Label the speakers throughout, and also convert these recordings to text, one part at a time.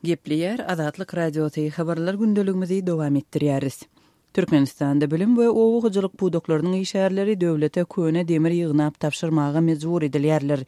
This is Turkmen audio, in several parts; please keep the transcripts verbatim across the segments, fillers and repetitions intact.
Speaker 1: Gepleýär Azatlyk Radiosy habarlar gündeligimizi dowam etdirýäris. Türkmenistanda bilim we oba hojalyk pudaklarynyň işgärleri döwlete köne demir ýygnap tabşyrmaga mejbur edilýärler.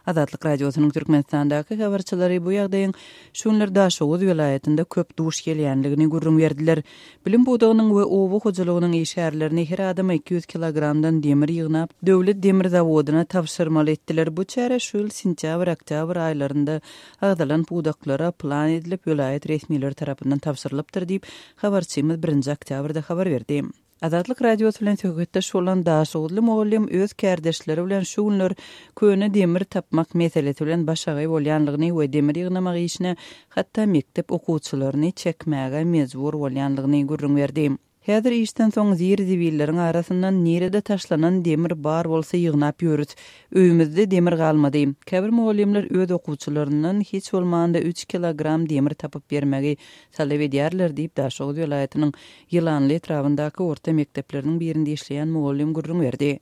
Speaker 1: Azatlyk Radiosynyň Türkmenistandaky habarçylary bu ýagdaýyň şu günler Daşoguz welaýatynda köp duş gelýänligini gürrüň berdiler. Bilim pudagynyň we oba hojalygynyň işgärlerini her adama iki ýüz kilogramdan demir ýygnap, döwlet demir zawodyna tabşyrmaly etdiler. Bu çäre şu ýyl sentýabr-oktýabr aýlarynda agzalan pudaklara plan edilip, welaýat resmileri tarapyndan tabşyrylypdyr diýip, habarçymyz birinji oktýabrda habar berdi. Azatlyk Radiosy bilen söhbetdeş bolan Daşoguzly mugallym öz kärdeşleri bilen şu günler köne demir tapmak meselesi bilen başagaý bolýanlygyny we demir ýygnamak işine hatda mekdep okuwçylaryny çekmäge mejbur bolýanlygyny gürrüň berdi. Häzir işden soň zir-zibilleriň arasyndan nirede taşlanan demir bar bolsa ýygnap ýörüs. Öýümizde demir galmady. Käbir mugallymlar öz okuwçylaryndan hiç bolmanda üç kilogram demir tapyp bermegi talap edýärler diýip, Daşoguz welaýatynyň Ýylanly etrabyndaky orta mekdepleriniň birinde işleýän mugallym gürrüň berdi.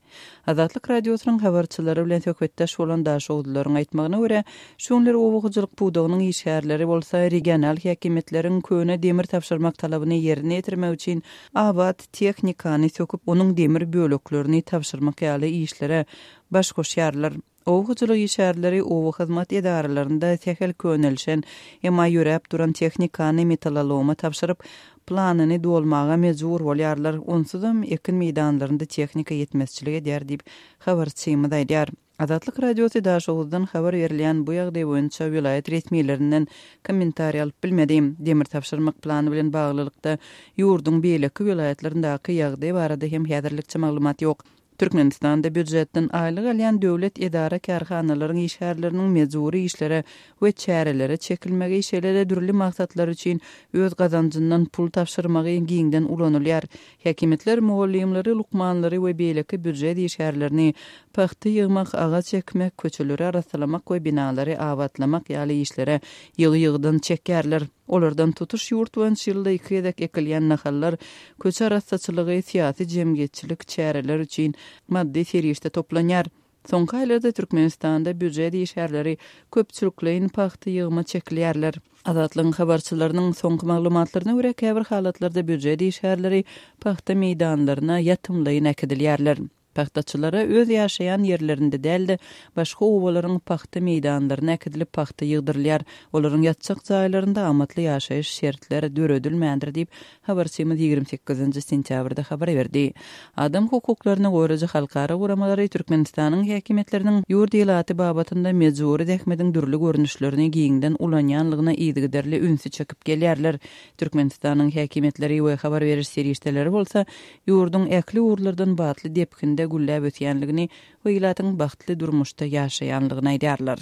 Speaker 1: Azatlyk Radiosynyň habarçylary bilen söhbetdeş bolan daşoguzlylaryň aýtmagyna görä, şu günler oba hojalyk pudagynyň işgärleri bolsa regional häkimiýetleriň köne demir tabşyrmak talabyny ýerine ýetirmek üçin abat tehnikany söküp, onuň demir böleklerini tabşyrmak ýaly işlere baş goşýarlar. Oba hojalyk işgärleri oba hyzmat edaralarynda sähel könelişen, emma ýöräp duran tehnikany metaloloma tabşyryp, planyny dolmaga mejbur bolýarlar. Onsuzam ekin meýdanlarynda tehnika ýetmezçilik edýär diýip, habarçymyz aýdýar. Azatlyk Radiosy Daşoguzdan habar berilýän bu ýagdaý boýunça welaýat resmilerinden kommentariý alyp bilmedi. Demir tabşyrmak plany bilen baglylykda ýurduň beýleki welaýatlaryndaky ýagdaý barada hem häzirlikçe maglumat ýok. Türkmenistanda býujetden aýlyk alýan döwlet edara-kärhanalaryň işgärleriniň mejbury işlere we çärelere çekilmegi, şeýle-de dürli maksatlar üçin öz gazanjyndan pul tabşyrmagy giňden ulanylýar. Häkimiýetler mugallymlary, lukmanlary we beýleki býujet işgärlerini pagta ýygmak, agaç ekmek, köçeleri arassalamak we binalary abatlamak ýaly işlere ýygy-ýygydan çekýärler. Olardan tutuş ýurt boýunça ýylda iki gezek ekilýän nahallar, köçe arassaçylygy, syýasy-jemgyýetçilik çäreler üçin maddy serişde toplanýar. Soňky aýlarda Türkmenistanda býujet işgärleri köpçülikleýin pagta ýygyma çekilýärler. Azatlygyň habarçylarynyň soňky maglumatlaryna görä, käbir halatlarda býujet işgärleri pagta meýdanlaryna ýatymlaýyn äkidilýärler. Pagtaçylara öz ýaşaýan ýerlerinde däl-de, başga obalaryň pagta meýdanlaryna äkidilip pagta ýygdyrylýar. Olaryň ýatjak jaýlarynda amatly ýaşaýyş şertleri döredilmändir diýip, habarçymyz ýigrimi sekizinji sentýabrda habar berdi. Adam hukuklaryny goraýjy halkara guramalary Türkmenistanyň häkimiýetleriniň ýurt ilaty babatynda mejbury zähmetiň dürli görnüşlerini giňden ulanýanlygyna yzygiderli ünsi çekip gelýärler. Türkmenistanyň häkimiýetleri we habar beriş serişdeleri bolsa ýurduň ähli ugurlardan batly depginde gülläp ösýänligini we ilatyň bagtly durmuşda ýaşaýanlygyny aýdýarlar.